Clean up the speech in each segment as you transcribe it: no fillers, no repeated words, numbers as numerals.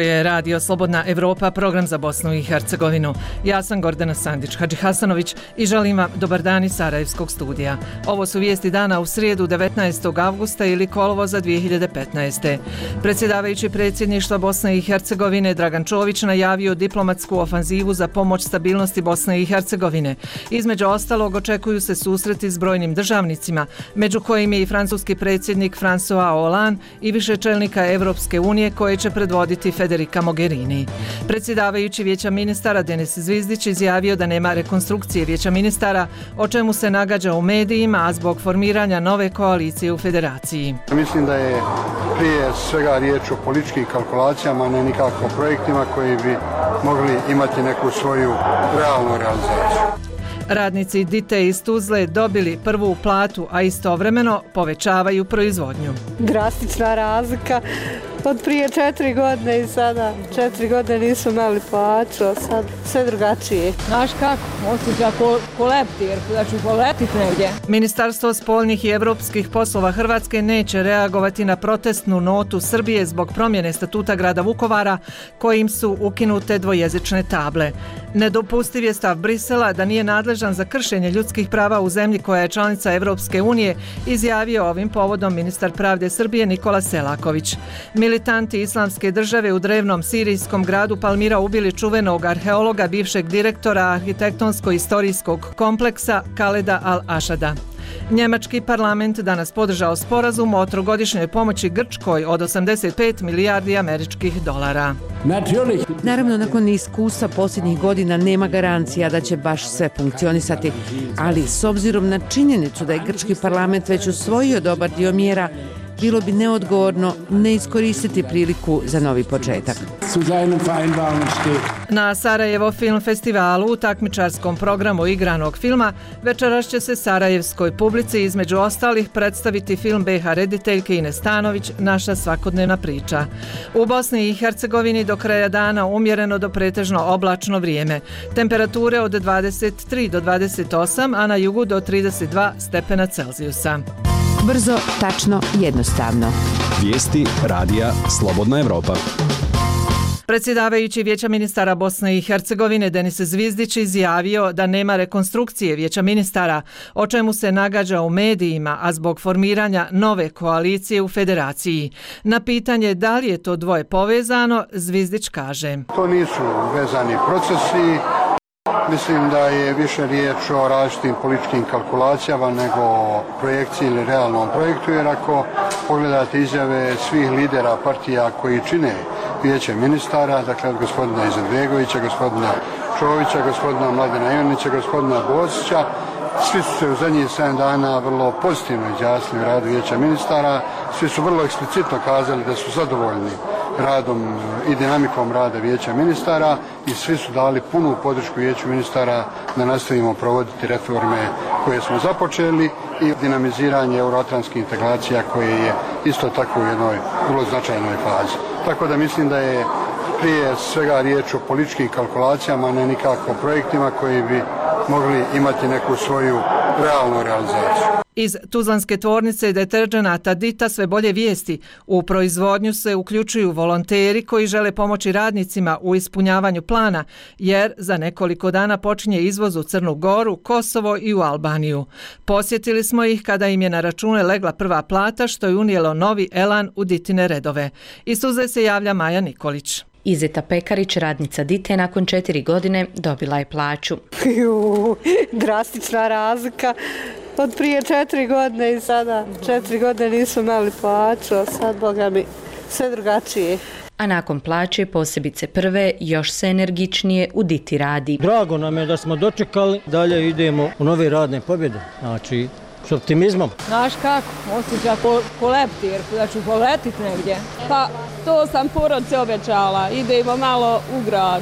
je Radio Slobodna Evropa, program za Bosnu i Hercegovinu. Ja sam Gordana Sandić-Hadžihasanović i želim vam dobar dan iz Sarajevskog studija. Ovo su vijesti dana u srijedu 19. avgusta ili kolovoza 2015. Predsjedavajući predsjedništva Bosne i Hercegovine Dragan Čović najavio diplomatsku ofanzivu za pomoć stabilnosti Bosne i Hercegovine. Između ostalog očekuju se susreti s brojnim državnicima, među kojim je i francuski predsjednik François Hollande i više čelnika Evropske unije koje će predvoditi Federica Mogherini. Predsjedavajući Vijeća ministara Denis Zvizdić izjavio da nema rekonstrukcije Vijeća ministara, o čemu se nagađa u medijima, a zbog formiranja nove koalicije u federaciji. Mislim da je prije svega riječ o političkim kalkulacijama, ne nikako projektima koji bi mogli imati neku svoju realnu realizaciju. Radnici Dite iz Tuzle dobili prvu platu, a istovremeno povećavaju proizvodnju. Drastična razlika od prije 4 godine i sada 4 godine nisu imali plaću, a sad sve drugačije. Znaš kako, osjeća ko leptir, da ću poletiti negdje. Ministarstvo spoljnih i evropskih poslova Hrvatske neće reagovati na protestnu notu Srbije zbog promjene statuta grada Vukovara kojim su ukinute dvojezične table. Nedopustiv je stav Brisela da nije nadležan za kršenje ljudskih prava u zemlji koja je članica Evropske unije, izjavio ovim povodom ministar pravde Srbije Nikola Selaković. Militanti Islamske države u drevnom sirijskom gradu Palmira ubili čuvenog arheologa, bivšeg direktora arhitektonsko-istorijskog kompleksa Kaleda Al-Ašada. Njemački parlament danas podržao sporazum o trogodišnjoj pomoći Grčkoj od 85 milijardi američkih dolara. Naravno, nakon iskustva posljednjih godina nema garancija da će baš sve funkcionisati, ali s obzirom na činjenicu da je grčki parlament već usvojio dobar dio mjera, bilo bi neodgovorno ne iskoristiti priliku za novi početak. Na Sarajevo film festivalu u takmičarskom programu igranog filma večeras će se sarajevskoj publici između ostalih predstaviti film BiH rediteljke Ines Stanović Naša svakodnevna priča. U Bosni i Hercegovini do kraja dana umjereno do pretežno oblačno vrijeme. Temperature od 23 do 28, a na jugu do 32 stepena Celzijusa. Brzo, tačno, jednostavno. Vijesti Radija Slobodna Evropa. Predsjedavajući Vijeća ministara Bosne i Hercegovine Denis Zvizdić izjavio da nema rekonstrukcije Vijeća ministara, o čemu se nagađa u medijima, a zbog formiranja nove koalicije u federaciji. Na pitanje da li je to dvoje povezano, Zvizdić kaže: To nisu vezani procesi. Mislim da je više riječ o različitim političkim kalkulacijama nego o projekciji ili realnom projektu, jer ako pogledate izjave svih lidera partija koji čine Vijeće ministara, dakle od gospodina Izetbegovića, gospodina Čovića, gospodina Mladena Ivanića, gospodina Bosića, svi su se u zadnjih 7 dana vrlo pozitivno izjasnili u radu Vijeća ministara, svi su vrlo eksplicitno kazali da su zadovoljni radom i dinamikom rada Vijeća ministara i svi su dali punu podršku Vijeću ministara da nastavimo provoditi reforme koje smo započeli i dinamiziranje euroatlantskih integracija koje je isto tako u jednoj vrlo značajnoj fazi. Tako da mislim da je prije svega riječ o političkim kalkulacijama, ne nikako projektima koji bi mogli imati neku svoju realnu realizaciju. Iz tuzlanske tvornice deterdženata Dita sve bolje vijesti. U proizvodnju se uključuju volonteri koji žele pomoći radnicima u ispunjavanju plana, jer za nekoliko dana počinje izvoz u Crnu Goru, Kosovo i u Albaniju. Posjetili smo ih kada im je na račune legla prva plata, što je unijelo novi elan u Ditine redove. Iz Tuzle se javlja Maja Nikolić. Izeta Pekarić, radnica Dite, nakon 4 godine dobila je plaću. Drastična razlika od prije 4 godine i sada 4 godine nisu imali plaću, a sad, boga mi, sve drugačije. A nakon plaće, posebice prve, još se energičnije u Diti radi. Drago nam je da smo dočekali, dalje idemo u nove radne pobjede, znači s optimizmom. Znaš kako, osjeća ko leptir, da ću poletiti negdje. Pa to sam porodce obećala, idemo malo u grad.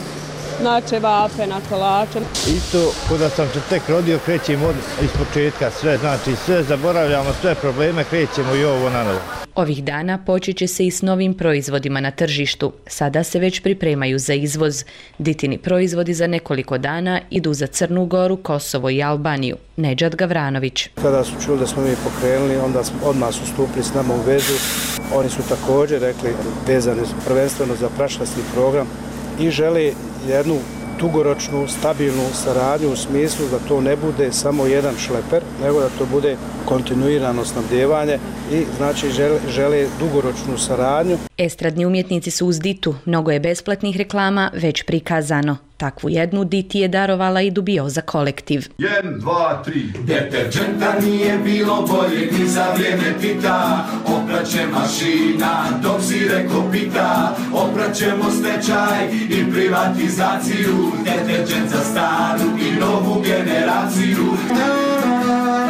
na ćevape, na kolače. Isto, kada sam se tek rodio, krećemo iz početka sve, znači sve zaboravljamo, sve probleme, krećemo i ovo na novo. Ovih dana počet će se i s novim proizvodima na tržištu. Sada se već pripremaju za izvoz. Ditini proizvodi za nekoliko dana idu za Crnu Goru, Kosovo i Albaniju. Nedžad Gavranović. Kada su čuli da smo mi pokrenuli, onda odmah su stupili s nama u vezu. Oni su također rekli vezani prvenstveno za prašlasti program i žele jednu dugoročnu, stabilnu saradnju u smislu da to ne bude samo jedan šleper, nego da to bude kontinuirano snabdijevanje i znači žele dugoročnu saradnju. Estradni umjetnici su uz Ditu. Mnogo je besplatnih reklama već prikazano. Takvu jednu Diti je darovala i Dubioza kolektiv. 1, 2, 3. Deterđenta nije bilo boljeg ni za vrijeme Tita. Opraće mašina dok si reko pita. Opraćemo stečaj i privatizaciju. Deterđent za staru i novu generaciju.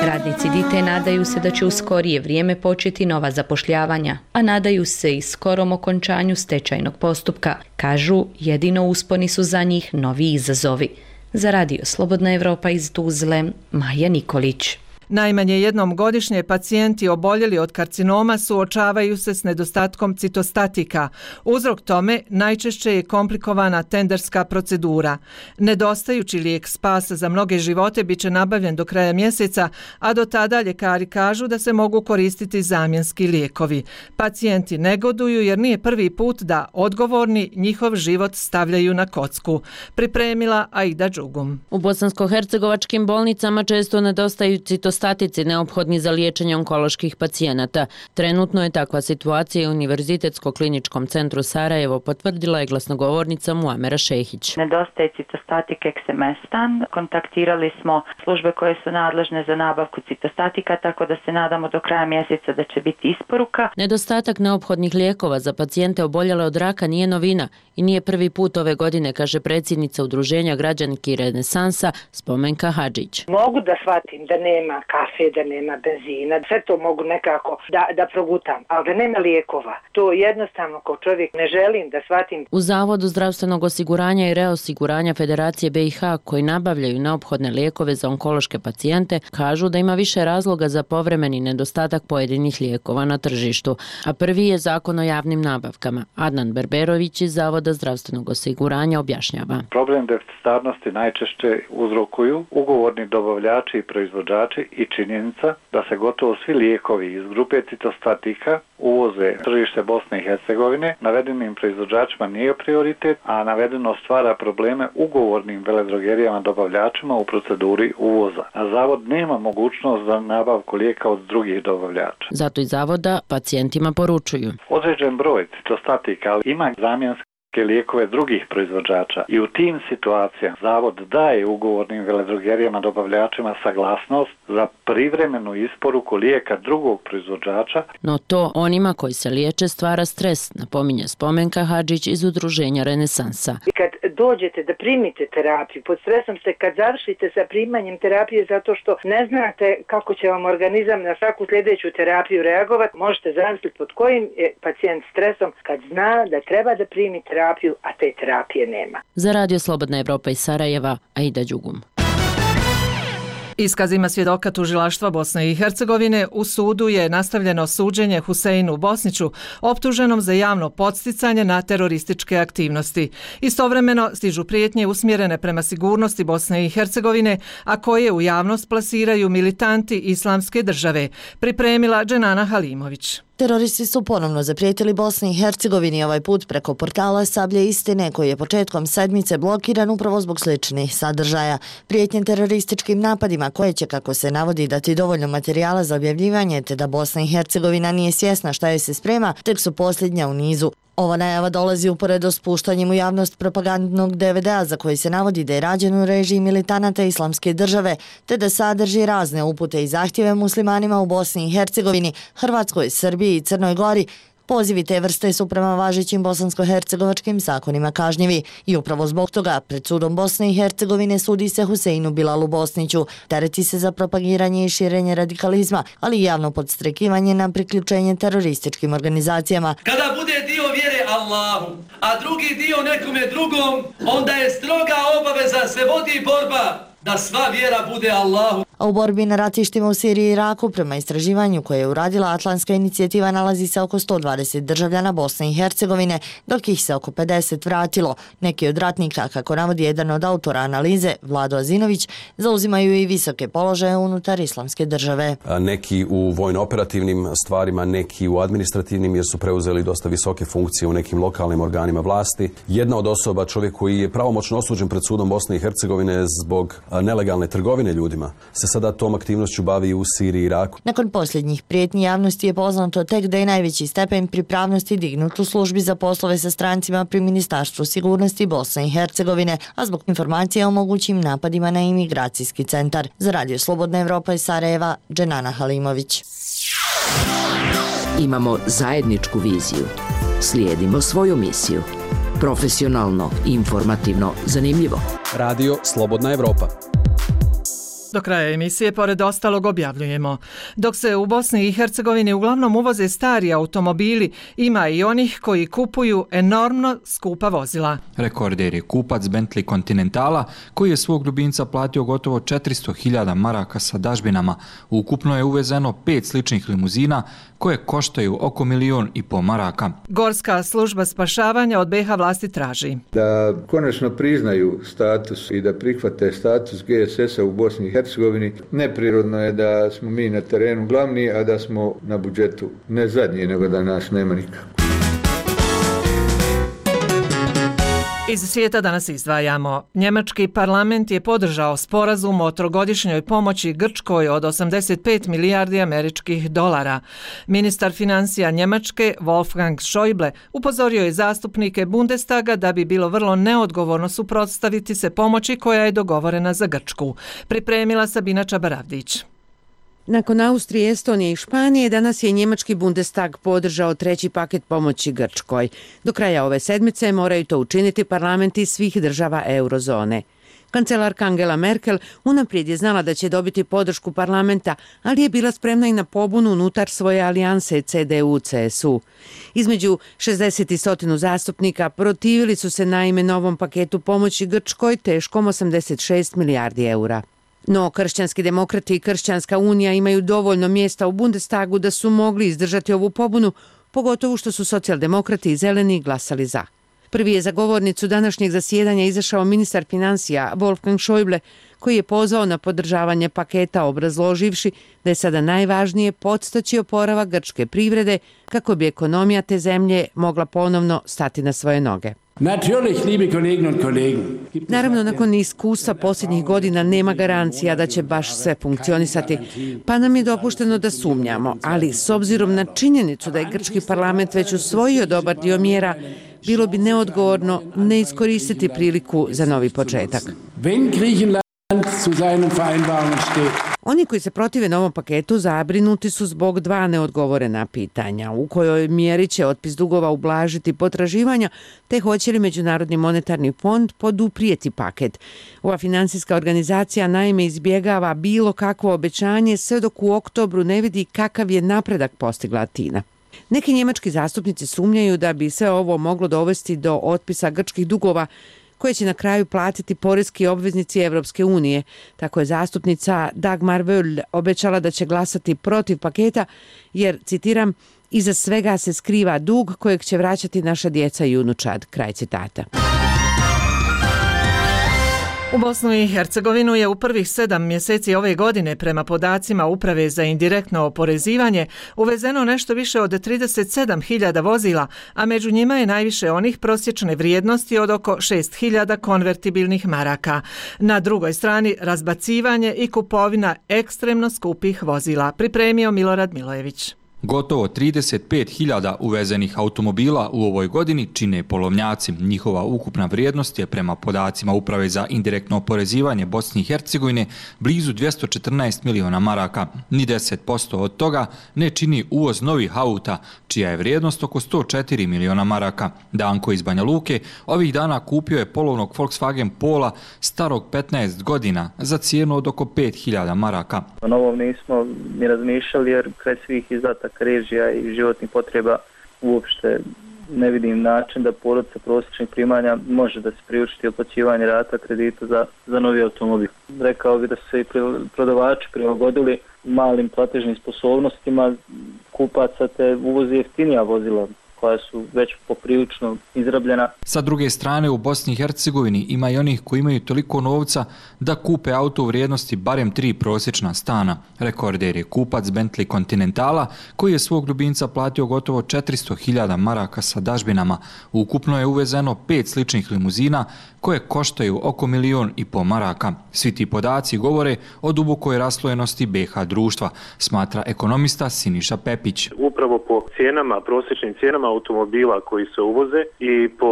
Radnici Dite nadaju se da će u skorije vrijeme početi nova zapošljavanja, a nadaju se i skorom okončanju stečajnog postupka. Kažu, jedino usponi su za njih novi izazovi. Za Radio Slobodna Evropa iz Tuzle, Maja Nikolić. Najmanje jednom godišnje pacijenti oboljeli od karcinoma suočavaju se s nedostatkom citostatika. Uzrok tome najčešće je komplikovana tenderska procedura. Nedostajući lijek spasa za mnoge živote bit će nabavljen do kraja mjeseca, a do tada ljekari kažu da se mogu koristiti zamjenski lijekovi. Pacijenti negoduju jer nije prvi put da odgovorni njihov život stavljaju na kocku. Pripremila Aida Đugum. U bosansko-hercegovačkim bolnicama često nedostaju citostatici neophodni za liječenje onkoloških pacijenata. Trenutno je takva situacija u Univerzitetsko-kliničkom centru Sarajevo, potvrdila je glasnogovornica Muamera Šehić. Nedostaje citostatik eksemestan. Kontaktirali smo službe koje su nadležne za nabavku citostatika, tako da se nadamo do kraja mjeseca da će biti isporuka. Nedostatak neophodnih lijekova za pacijente oboljele od raka nije novina i nije prvi put ove godine, kaže predsjednica Udruženja građanki Renesansa Spomenka Hadžić. Mogu da shvatim da nema kafe, da nema benzina, sve to mogu nekako da progutam, ali da nema lijekova. To jednostavno kao čovjek ne želim da shvatim. U Zavodu zdravstvenog osiguranja i reosiguranja Federacije BiH, koji nabavljaju neophodne lijekove za onkološke pacijente, kažu da ima više razloga za povremeni nedostatak pojedinih lijekova na tržištu. A prvi je Zakon o javnim nabavkama. Adnan Berberović iz Zavoda zdravstvenog osiguranja objašnjava. Problem deficitarnosti najčešće uzrokuju ugovorni dobavljači i proizvođači i činjenica da se gotovo svi lijekovi iz grupe citostatika uvoze tržište Bosne i Hercegovine. Navedenim proizvođačima nije prioritet, a navedeno stvara probleme ugovornim veledrogerijama dobavljačima u proceduri uvoza. A zavod nema mogućnost za nabavku lijeka od drugih dobavljača. Zato iz zavoda pacijentima poručuju. Određen broj citostatika ima zamjenske lijekove drugih proizvođača i u tim situacijama zavod daje ugovornim veledrogerijama dobavljačima saglasnost za privremenu isporuku lijeka drugog proizvođača. No to onima koji se liječe stvara stres, napominje Spomenka Hadžić iz Udruženja Renesansa. Kad dođete da primite terapiju, pod stresom ste kad završite sa primanjem terapije zato što ne znate kako će vam organizam na svaku sljedeću terapiju reagovati, možete zamisliti pod kojim je pacijent stresom kad zna da treba da primi terapiju, a te terapije nema. Za Radio Slobodna Evropa iz Sarajeva, Aida Đugum. Iskazima svjedoka tužilaštva Bosne i Hercegovine u sudu je nastavljeno suđenje Huseinu Bosniću, optuženom za javno podsticanje na terorističke aktivnosti. Istovremeno stižu prijetnje usmjerene prema sigurnosti Bosne i Hercegovine, a koje u javnost plasiraju militanti Islamske države, pripremila Dženana Halimović. Teroristi su ponovno zaprijetili Bosni i Hercegovini, ovaj put preko portala Sablje istine, koji je početkom sedmice blokiran upravo zbog sličnih sadržaja. Prijetnje terorističkim napadima koje će, kako se navodi, dati dovoljno materijala za objavljivanje, te da Bosna i Hercegovina nije svjesna šta joj se sprema, tek su posljednja u nizu. Ova najava dolazi uporedo s puštanjem u javnost propagandnog DVD-a za koji se navodi da je rađen u režiji militanata Islamske države, te da sadrži razne upute i zahtjeve muslimanima u Bosni i Hercegovini, Hrvatskoj, Srbiji i Crnoj Gori. Pozivi te vrste su prema važećim bosansko-hercegovačkim zakonima kažnjivi i upravo zbog toga pred sudom Bosne i Hercegovine sudi se Huseinu Bilalu Bosniću. Tereti se za propagiranje i širenje radikalizma, ali i javno podstrekivanje na priključenje terorističkim organizacijama. Kada bude dio vjere, Allahu, a drugi dio nekome drugom, onda je stroga obaveza se vodi borba da sva vjera bude Allahu. A u borbi na ratištima u Siriji i Iraku, prema istraživanju koje je uradila Atlantska inicijativa, nalazi se oko 120 državljana Bosne i Hercegovine, dok ih se oko 50 vratilo. Neki od ratnika, kako navodi jedan od autora analize, Vlado Azinović, zauzimaju i visoke položaje unutar islamske države. Neki u vojno-operativnim stvarima, neki u administrativnim, jer su preuzeli dosta visoke funkcije u nekim lokalnim organima vlasti. Jedna od osoba, čovjek koji je pravomoćno osuđen pred sudom Bosne i Hercegovine zbog nelegalne trgovine ljudima, se sada tom aktivnošću bavi u Siriji i Iraku. Nakon posljednjih prijetnji javnosti je poznato tek da je najveći stepen pripravnosti dignut u službi za poslove sa strancima pri Ministarstvu sigurnosti Bosne i Hercegovine, a zbog informacija o mogućim napadima na imigracijski centar. Za Radio Slobodna Evropa iz Sarajeva, Dženana Halimović. Imamo zajedničku viziju. Slijedimo svoju misiju. Profesionalno, informativno, zanimljivo. Radio Slobodna Evropa. Do kraja emisije, pored ostalog, objavljujemo. Dok se u Bosni i Hercegovini uglavnom uvoze stari automobili, ima i onih koji kupuju enormno skupa vozila. Rekorder je kupac Bentley Continentala, koji je svog ljubimca platio gotovo 400.000 maraka sa dažbinama. Ukupno je uvezeno 5 sličnih limuzina, koje koštaju oko 1,5 miliona maraka. Gorska služba spašavanja od BiH vlasti traži da konačno priznaju status i da prihvate status GSS-a u Bosni i Hercegovini. Neprirodno je da smo mi na terenu glavni, a da smo na budžetu ne zadnji, nego da nas nema nikako. Iz svijeta danas izdvajamo. Njemački parlament je podržao sporazum o trogodišnjoj pomoći Grčkoj od 85 milijardi američkih dolara. Ministar financija Njemačke Wolfgang Schäuble upozorio je zastupnike Bundestaga da bi bilo vrlo neodgovorno suprotstaviti se pomoći koja je dogovorena za Grčku. Pripremila Sabina Čabaravdić. Nakon Austrije, Estonije i Španije, danas je njemački Bundestag podržao 3. paket pomoći Grčkoj. Do kraja ove sedmice moraju to učiniti parlamenti svih država eurozone. Kancelarka Angela Merkel unaprijed je znala da će dobiti podršku parlamenta, ali je bila spremna i na pobunu unutar svoje alijanse CDU-CSU. Između 60 i 100 zastupnika protivili su se naime novom paketu pomoći Grčkoj teškom 86 milijardi eura. No, kršćanski demokrati i Kršćanska unija imaju dovoljno mjesta u Bundestagu da su mogli izdržati ovu pobunu, pogotovo što su socijaldemokrati i zeleni glasali za. Prvi je za govornicu današnjeg zasjedanja izašao ministar financija Wolfgang Schäuble, koji je pozvao na podržavanje paketa obrazloživši da je sada najvažnije podstaći oporavak grčke privrede kako bi ekonomija te zemlje mogla ponovno stati na svoje noge. Naravno, nakon iskustva posljednjih godina nema garancija da će baš sve funkcionisati, pa nam je dopušteno da sumnjamo, ali s obzirom na činjenicu da je grčki parlament već usvojio dobar dio mjera, bilo bi neodgovorno ne iskoristiti priliku za novi početak. Oni koji se protive novom paketu zabrinuti su zbog 2 neodgovorena pitanja. U kojoj mjeri će otpis dugova ublažiti potraživanja, te hoće li Međunarodni monetarni fond poduprijeti paket. Ova financijska organizacija naime izbjegava bilo kakvo obećanje sve dok u oktobru ne vidi kakav je napredak postigla Atina. Neki njemački zastupnici sumnjaju da bi sve ovo moglo dovesti do otpisa grčkih dugova, koje će na kraju platiti poreski obveznici Evropske unije. Tako je zastupnica Dagmar Wöll obećala da će glasati protiv paketa, jer, citiram, iza svega se skriva dug kojeg će vraćati naša djeca i unučad. Kraj citata. U Bosnu i Hercegovinu je u prvih 7 mjeseci ove godine prema podacima Uprave za indirektno oporezivanje uvezeno nešto više od 37.000 vozila, a među njima je najviše onih prosječne vrijednosti od oko 6.000 konvertibilnih maraka. Na drugoj strani razbacivanje i kupovina ekstremno skupih vozila, pripremio Milorad Milojević. Gotovo 35.000 uvezenih automobila u ovoj godini čine polovnjaci. Njihova ukupna vrijednost je prema podacima Uprave za indirektno oporezivanje Bosne i Hercegovine blizu 214 miliona maraka. Ni 10% od toga ne čini uvoz novih auta, čija je vrijednost oko 104 miliona maraka. Danko iz Banja Luke ovih dana kupio je polovnog Volkswagen Pola starog 15 godina za cijenu od oko 5.000 maraka. O novom nismo ni razmišljali jer kraj svih izdataka režija i životnih potreba uopšte ne vidim način da porodica prosječnih primanja može da se priučiti otplaćivanje rata kredita za novi automobil. Rekao bi da su se i prodavači prilagodili malim platežnim sposobnostima kupaca te uvozi jeftinija vozila koja su već poprilično izrabljena. Sa druge strane, u Bosni i Hercegovini ima i onih koji imaju toliko novca da kupe auto u vrijednosti barem 3 prosječna stana. Rekorder je kupac Bentley Continentala koji je svog ljubimca platio gotovo 400.000 maraka sa dažbinama. Ukupno je uvezeno 5 sličnih limuzina koje koštaju oko 1,5 miliona maraka. Svi ti podaci govore o dubokoj raslojenosti BiH društva, smatra ekonomista Siniša Pepić. Upravo po cijenama, prosječnim cijenama automobila koji se uvoze i po,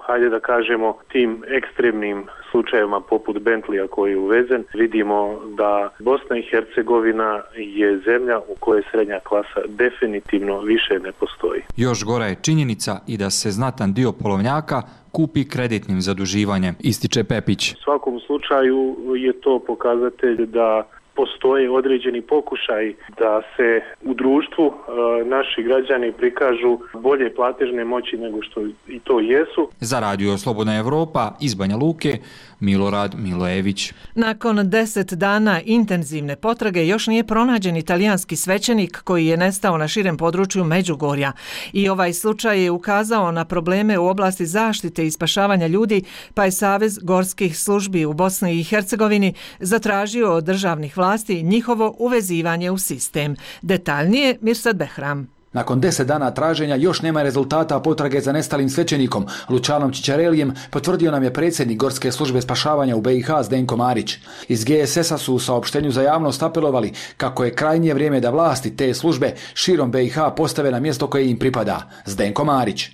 hajde da kažemo, tim ekstremnim slučajevima poput Bentleya koji je uvezen, vidimo da Bosna i Hercegovina je zemlja u kojoj srednja klasa definitivno više ne postoji. Još gora je činjenica i da se znatan dio polovnjaka kupi kreditnim zaduživanjem, ističe Pepić. U svakom slučaju je to pokazatelj da postoje određeni pokušaj da se u društvu naši građani prikažu bolje platežne moći nego što i to jesu. Za Radio Slobodna Evropa iz Banja Luke, Milorad Milojević. Nakon 10 dana intenzivne potrage još nije pronađen italijanski svećenik koji je nestao na širem području Međugorja. I ovaj slučaj je ukazao na probleme u oblasti zaštite i spašavanja ljudi, pa je Savez gorskih službi u Bosni i Hercegovini zatražio od državnih vlasti njihovo uvezivanje u sistem. Detaljnije Mirsad Behram. Nakon 10 dana traženja još nema rezultata potrage za nestalim svećenikom. Lučanom Čičarelijem potvrdio nam je predsjednik Gorske službe spašavanja u BiH Zdenko Marić. Iz GSS-a su u saopštenju za javnost apelovali kako je krajnje vrijeme da vlasti te službe širom BiH postave na mjesto koje im pripada. Zdenko Marić.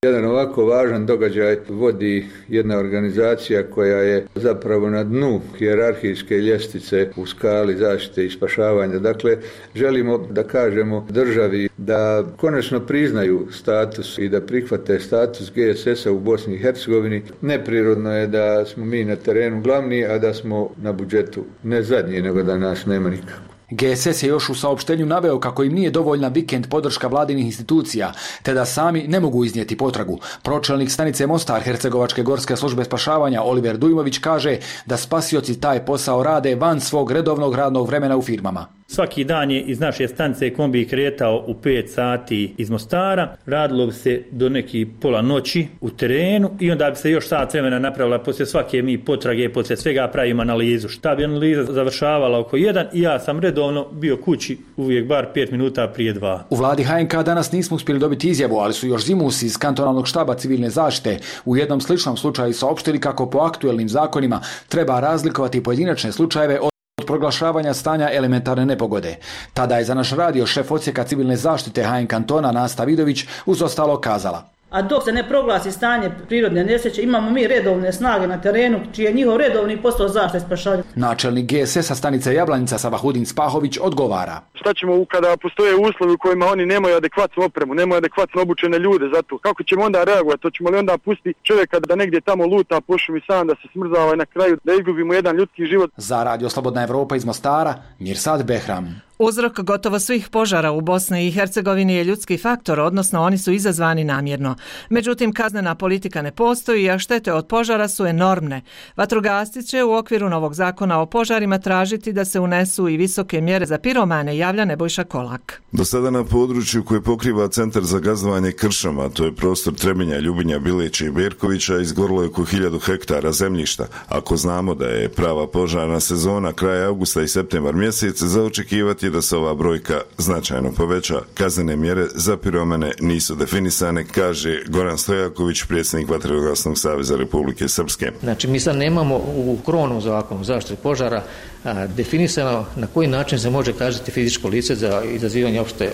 Jedan ovako važan događaj vodi jedna organizacija koja je zapravo na dnu hijerarhijske ljestvice u skali zaštite i spašavanja. Dakle, želimo da kažemo državi da konačno priznaju status i da prihvate status GSS-a u Bosni i Hercegovini. Neprirodno je da smo mi na terenu glavni, a da smo na budžetu ne zadnji, nego da nas nema nikako. GSS je još u saopštenju naveo kako im nije dovoljna vikend podrška vladinih institucija, te da sami ne mogu iznijeti potragu. Pročelnik stanice Mostar Hercegovačke gorske službe spašavanja Oliver Dujmović kaže da spasioci taj posao rade van svog redovnog radnog vremena u firmama. Svaki dan je iz naše stanice kombi kretao u 5 sati iz Mostara, radilo bi se do neki pola noći u terenu i onda bi se još sat vremena napravila poslije svake mi potrage, poslije svega pravimo analizu. Šta bi analiza završavala oko 1 i ja sam redovno bio kući uvijek bar 5 minuta prije 2. U vladi HNK danas nismo uspjeli dobiti izjavu, ali su još zimus iz kantonalnog štaba civilne zaštite u jednom sličnom slučaju saopštili kako po aktuelnim zakonima treba razlikovati pojedinačne slučajeve od proglašavanja stanja elementarne nepogode. Tada je za naš radio šef odsjeka civilne zaštite HN kantona Nasta Vidović uz ostalo kazala. A dok se ne proglasi stanje prirodne nesreće, imamo mi redovne snage na terenu, čiji je njihov redovni posao zaštite i spašavanja. Načelnik GSS-a stanice Jablanica Savahudin Spahović odgovara. Šta ćemo kada postoje uslovi u kojima oni nemaju adekvatnu opremu, nemaju adekvatno obučene ljude za to? Kako ćemo onda reagovati? To ćemo li onda pustiti čovjeka da negdje tamo luta po šumi sam, da se smrzava i na kraju da izgubimo jedan ljudski život? Za Radio Slobodna Evropa iz Mostara, Mirsad Behram. Uzrok gotovo svih požara u Bosni i Hercegovini je ljudski faktor, odnosno oni su izazvani namjerno. Međutim, kaznena politika ne postoji, a štete od požara su enormne. Vatrogasci će u okviru novog zakona o požarima tražiti da se unesu i visoke mjere za piromane, javlja Nebojša Kolak. Do sada na području koje pokriva Centar za gazdovanje kršama, to je prostor Trebinja, Ljubinja, Bileća i Berkovića, izgorilo je oko 1000 hektara zemljišta. Ako znamo da je prava požarna sezona kraj avgusta i septembar mjesec, za očekivati da se ova brojka značajno poveća. Kaznene mjere za piromane nisu definisane, kaže Goran Stojaković, predsjednik Vatrogasnog saveza Republike Srpske. Znači, mi sad nemamo u krovnom zakonu zaštite požara definisano na koji način se može kazniti fizičko lice za izazivanje opšte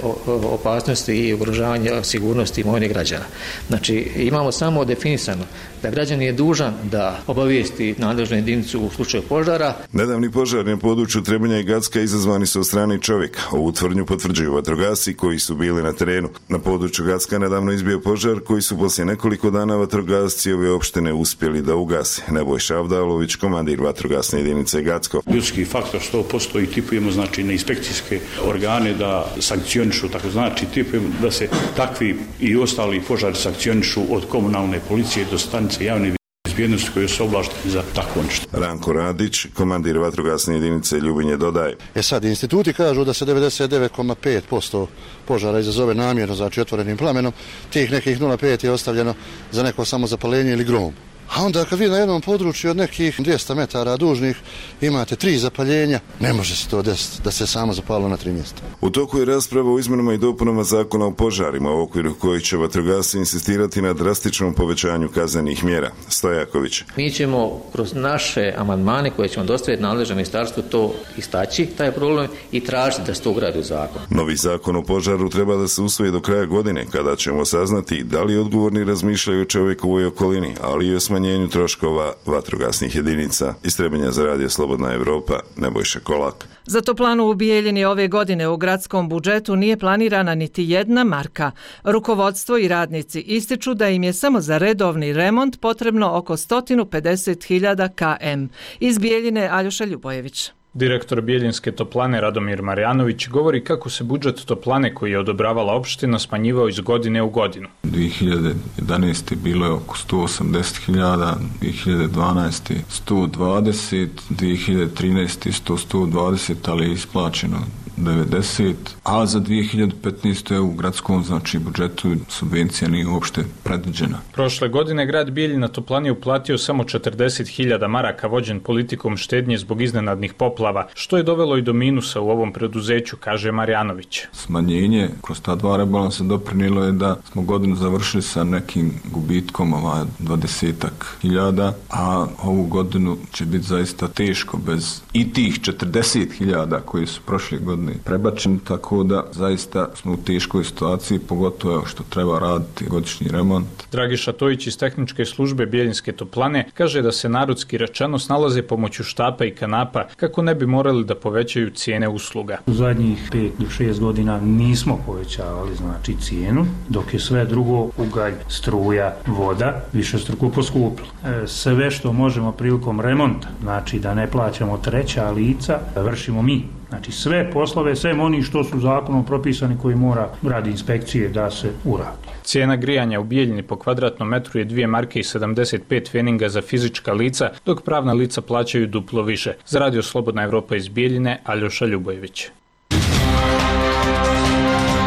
opasnosti i ugrožavanje sigurnosti imovine građana. Znači, imamo samo definisano da građanin je dužan da obavijesti nadležnu jedinicu u slučaju požara. Nedavni požar na području Trebinja i Gacka izazvani su od strane čovjeka. Ovu tvrdnju potvrđuju vatrogasci koji su bili na terenu. Na području Gacka nedavno izbio požar koji su poslije nekoliko dana vatrogasci ove opštine uspjeli da ugase. Nebojša Avdalović, komandir vatrogasne jedinice Gacko. Ljudski faktor 100% i tipujemo znači na inspekcijske organe da sankcionišu, tako znači tipujemo da se takvi i ostali požari sankcionišu od komunalne policije do stanice javne bezbjednosti koji su ovlašteni za takvo nešto. Ranko Radić, komandir vatrogasne jedinice Ljubinje, dodaje. Sad, instituti kažu da se 99,5% požara izazove namjerno, znači otvorenim plamenom, tih nekih 0,5 je ostavljeno za neko samozapaljenje ili grom. A onda kad vi na jednom području od nekih 200 metara dužnih imate 3 zapaljenja, ne može se to desiti da se samo zapalo na 3 mjesta. U toku je rasprava o izmenama i dopunama zakona o požarima, u okviru kojih će vatrogasci insistirati na drastičnom povećanju kaznenih mjera. Stojaković. Mi ćemo kroz naše amandmane koje ćemo dostaviti nadležnom ministarstvu to istaći, taj problem, i tražiti da se to ugradi u zakon. Novi zakon o požaru treba da se usvoji do kraja godine, kada ćemo saznati da li odgovorni razmišljaju o čovjekovoj okolini, ali i o smanjenju troškova vatrogasnih jedinica. Iz Trebinja za Radio Slobodna Evropa, Nebojša Kolak. Za toplanu u Bijeljini ove godine u gradskom budžetu nije planirana niti jedna marka. Rukovodstvo i radnici ističu da im je samo za redovni remont potrebno oko 150.000 km. Iz Bijeljine Aljoša Ljubojević. Direktor Bijeljinske toplane Radomir Marjanović govori kako se budžet toplane koji je odobravala opština smanjivao iz godine u godinu. 2011. bilo je oko 180.000, 2012. 120, 2013. isto 120, ali je isplaćeno 90, a za 2015. u gradskom budžetu subvencija nije uopšte predviđena. Prošle godine grad Bijeljina toplani uplatio samo 40.000 maraka vođen politikom štednje zbog iznenadnih poplava, što je dovelo i do minusa u ovom preduzeću, kaže Marjanović. Smanjenje kroz ta dva rebalansa doprinijelo je da smo godinu završili sa nekim gubitkom 20.000, a ovu godinu će biti zaista teško bez i tih 40.000 koji su prošle godine prebačen, tako da zaista smo u teškoj situaciji, pogotovo što treba raditi godišnji remont. Dragiša Tojić iz tehničke službe Bijeljinske toplane kaže da se narodski rečeno snalaze pomoću štapa i kanapa kako ne bi morali da povećaju cijene usluga. U zadnjih 5 do 6 godina nismo povećavali cijenu, dok je sve drugo, ugalj, struja, voda, višestruko poskupilo. Sve što možemo prilikom remonta, znači da ne plaćamo treća lica, vršimo mi. Znači sve poslove, sve oni što su zakonom propisani koji mora radi inspekcije da se uradi. Cijena grijanja u Bijeljini po kvadratnom metru je 2 marke i 75 pfeninga za fizička lica, dok pravna lica plaćaju duplo više. Za Radio Slobodna Evropa iz Bijeljine, Aljoša Ljubojević.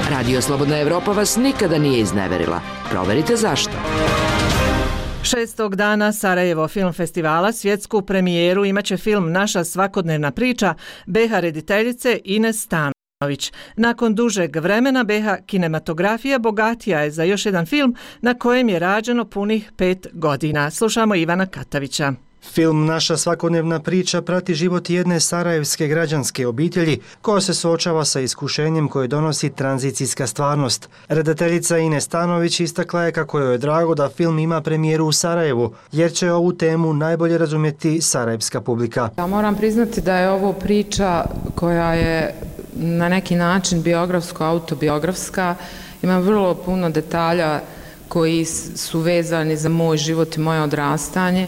Radio Slobodna Evropa vas nikada nije izneverila. Proverite zašto. 6. dana Sarajevo film festivala svjetsku premijeru imaće film Naša svakodnevna priča BH rediteljice Ines Stanović. Nakon dužeg vremena BH kinematografija bogatija je za još jedan film na kojem je rađeno punih 5 godina. Slušamo Ivana Katavića. Film Naša svakodnevna priča prati život jedne sarajevske građanske obitelji koja se suočava sa iskušenjem koje donosi tranzicijska stvarnost. Redateljica Ines Stanović istakla je kako joj je drago da film ima premijeru u Sarajevu, jer će ovu temu najbolje razumjeti sarajevska publika. Ja moram priznati da je ovo priča koja je na neki način biografsko-autobiografska. Ima vrlo puno detalja koji su vezani za moj život i moje odrastanje.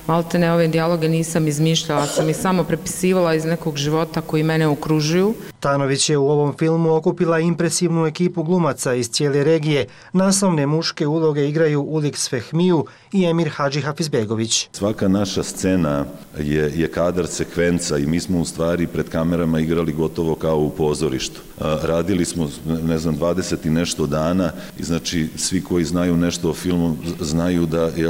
Maltene ove dijaloge nisam izmišljala, sam ih samo prepisivala iz nekog života koji mene okružuju. Stanović je u ovom filmu okupila impresivnu ekipu glumaca iz cijele regije. Naslovne muške uloge igraju Uliks Fehmiju i Emir Hadži Hafizbegović. Svaka naša scena je kadar, sekvenca i mi smo u stvari pred kamerama igrali gotovo kao u pozorištu. Radili smo, 20 i nešto dana i znači svi koji znaju nešto o filmu znaju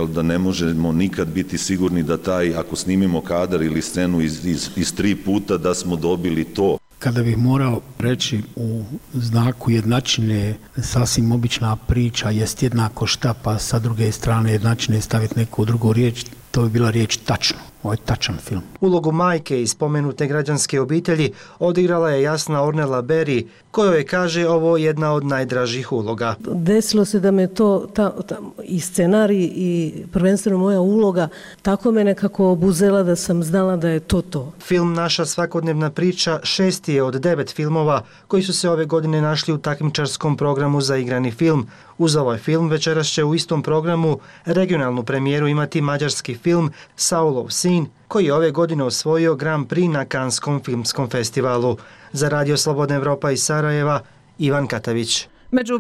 da ne možemo nikad biti sigurni da ako snimimo kadar ili scenu iz 3 puta da smo dobili to. Kada bih morao reći u znaku jednačine, sasvim obična priča jest jednako šta, pa sa druge strane jednačine staviti neku drugu riječ, to bi bila riječ tačno. Ovo je tačan film. Ulogu majke iz spomenute građanske obitelji odigrala je Jasna Ornella Berry, kojoj kaže ovo jedna od najdražih uloga. Desilo se da me to i scenarij i prvenstveno moja uloga tako me nekako obuzela da sam znala da je to. Film Naša svakodnevna priča 6. je od 9 filmova koji su se ove godine našli u takmičarskom programu za igrani film. Uz ovaj film večeras će u istom programu regionalnu premijeru imati mađarski film Saulov sin, koji je ove godine osvojio Grand Prix na Kanskom filmskom festivalu. Za Radio Slobodna Evropa iz Sarajeva, Ivan Katavić. Među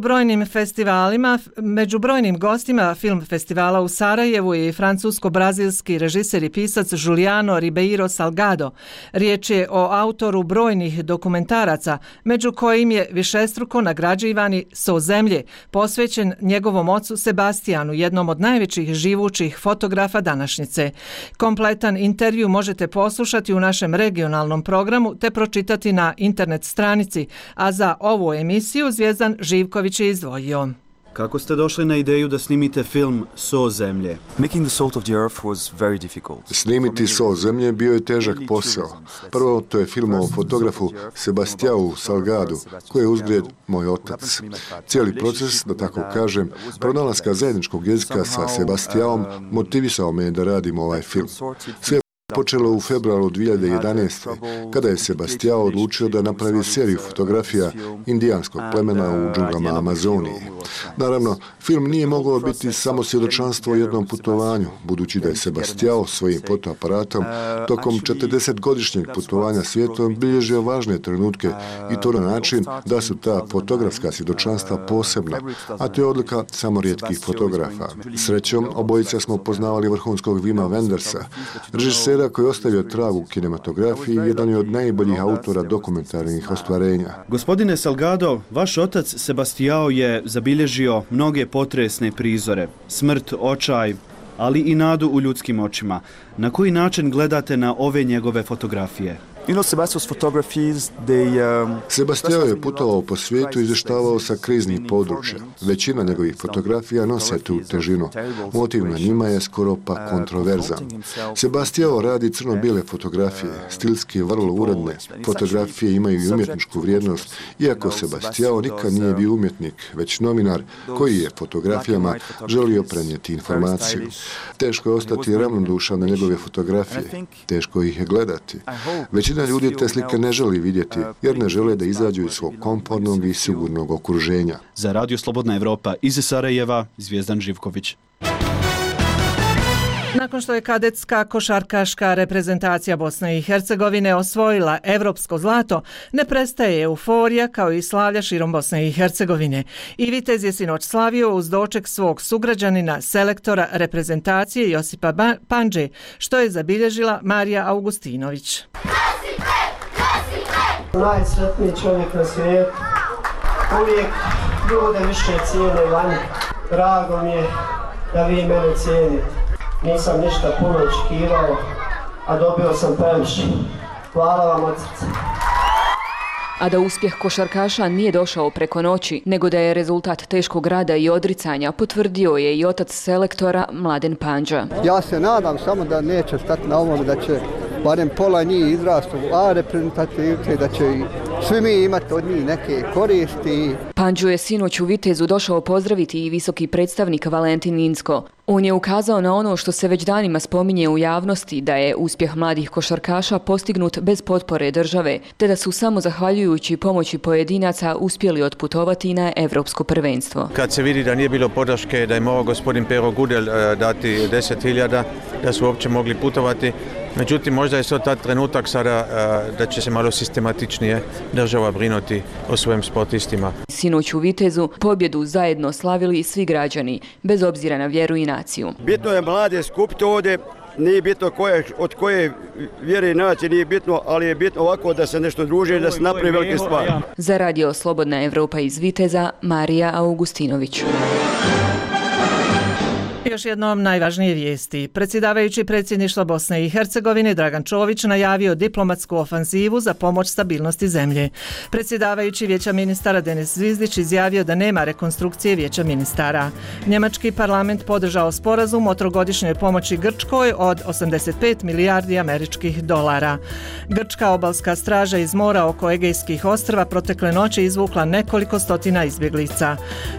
brojnim gostima film festivala u Sarajevu je i francusko-brazilski režiser i pisac Juliano Ribeiro Salgado. Riječ je o autoru brojnih dokumentaraca, među kojim je višestruko nagrađivani So zemlje, posvećen njegovom ocu Sebastijanu, jednom od najvećih živućih fotografa današnjice. Kompletan intervju možete poslušati u našem regionalnom programu te pročitati na internet stranici, a za ovu emisiju Zvijezdan Živković je izdvojio. Kako ste došli na ideju da snimite film So zemlje? Snimiti So zemlje bio je težak posao. Prvo, to je film o fotografu Sebastianu Salgadu, koji je uzgred moj otac. Cijeli proces, da tako kažem, pronalaska zajedničkog jezika sa Sebastianom motivisao me da radim ovaj film. Sve počelo u februaru 2011. kada je Sebastião odlučio da napravi seriju fotografija indijanskog plemena u džunglama Amazonije. Naravno, film nije mogao biti samo svjedočanstvo o jednom putovanju, budući da je Sebastião svojim fotoaparatom tokom 40-godišnjeg putovanja svijetom bilježio važne trenutke i to na način da su ta fotografska svjedočanstva posebna, a to je odlika samo rijetkih fotografa. Srećom, obojica smo poznavali vrhunskog Wima Wendersa, režisera koji je ostavio trag u kinematografiji i jedan je od najboljih autora dokumentarnih ostvarenja. Gospodine Salgado, vaš otac Sebastião je zabilježio mnoge potresne prizore, smrt, očaj, ali i nadu u ljudskim očima. Na koji način gledate na ove njegove fotografije? Sebastião je putovao po svijetu i izvještavao sa kriznih područja. Većina njegovih fotografija nose tu težinu. Motiv na njima je skoro pa kontroverzan. Sebastião radi crno-bijele fotografije, stilski vrlo uredne. Fotografije imaju i umjetničku vrijednost, iako Sebastião nikad nije bio umjetnik, već novinar koji je fotografijama želio prenijeti informaciju. Teško je ostati ravnodušan na njegove fotografije, teško ih je gledati. Većina ljudi te slike ne želi vidjeti, jer ne žele da izađu iz svog komfortnog i sigurnog okruženja. Za Radio Slobodna Evropa iz Sarajeva, Zvijezdan Živković. Nakon što je kadetska košarkaška reprezentacija Bosne i Hercegovine osvojila evropsko zlato, ne prestaje euforija kao i slavlja širom Bosne i Hercegovine. I Vitez je sinoć slavio uz doček svog sugrađanina, selektora reprezentacije Josipa Pandže, što je zabilježila Marija Augustinović. Najsretniji čovjek na svijetu, uvijek ljude više cijene vani. Drago mi je da vi mene cijenite. Nisam ništa puno očekivao, a dobio sam previše. Hvala vam od srca. A da uspjeh košarkaša nije došao preko noći, nego da je rezultat teškog rada i odricanja, potvrdio je i otac selektora Mladen Pandža. Ja se nadam samo da neće stati na ovom, da će barem pola njih izrasti u A reprezentativce, da će svi mi imati od njih neke koristi. Pandžu je sinoć u Vitezu došao pozdraviti i visoki predstavnik Valentin Inzko. On je ukazao na ono što se već danima spominje u javnosti, da je uspjeh mladih košarkaša postignut bez potpore države, te da su samo zahvaljujući pomoći pojedinaca uspjeli otputovati na evropsko prvenstvo. Kad se vidi da nije bilo podrške, da je mogao gospodin Pero Gudel dati 10.000, da su uopće mogli putovati. Međutim, možda je to tad trenutak sada da će se malo sistematičnije država brinuti o svojim sportistima. Sinoć u Vitezu pobjedu zajedno slavili svi građani, bez obzira na vjeru i naciju. Bitno je mlade skupiti ovdje, nije bitno od koje vjere i nacije, nije bitno, ali je bitno ovako da se nešto druže, da se napravi velike stvari. Za Radio Slobodna Evropa iz Viteza, Marija Augustinović. Još jednom najvažnije vijesti. Predsjedavajući predsjedništva Bosne i Hercegovine Dragan Čović najavio diplomatsku ofanzivu za pomoć stabilnosti zemlje. Predsjedavajući Vijeća ministara Denis Zvizdić izjavio da nema rekonstrukcije Vijeća ministara. Njemački parlament podržao sporazum o trogodišnjoj pomoći Grčkoj od 85 milijardi američkih dolara. Grčka obalska straža iz mora oko Egejskih ostrva protekle noći izvukla nekoliko stotina izbjeglica.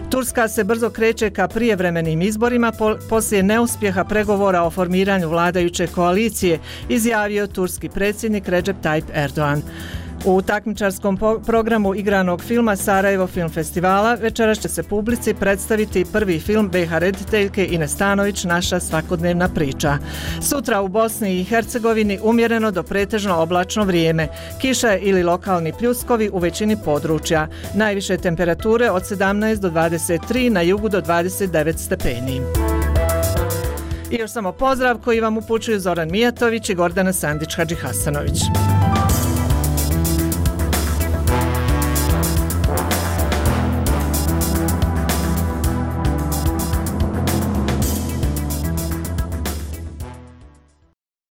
Turska se brzo kreće ka prijevremenim izborima poslije neuspjeha pregovora o formiranju vladajuće koalicije, izjavio turski predsjednik Recep Tayyip Erdogan. U takmičarskom programu igranog filma Sarajevo film festivala večeras će se publici predstaviti prvi film BiH rediteljke Ines Stanović Naša svakodnevna priča. Sutra u Bosni i Hercegovini umjereno do pretežno oblačno vrijeme, kiša ili lokalni pljuskovi u većini područja. Najviše temperature od 17 do 23, na jugu do 29 stepeni. I još samo pozdrav koji vam upućuju Zoran Mijatović i Gordana Sandić-Hadžihasanović.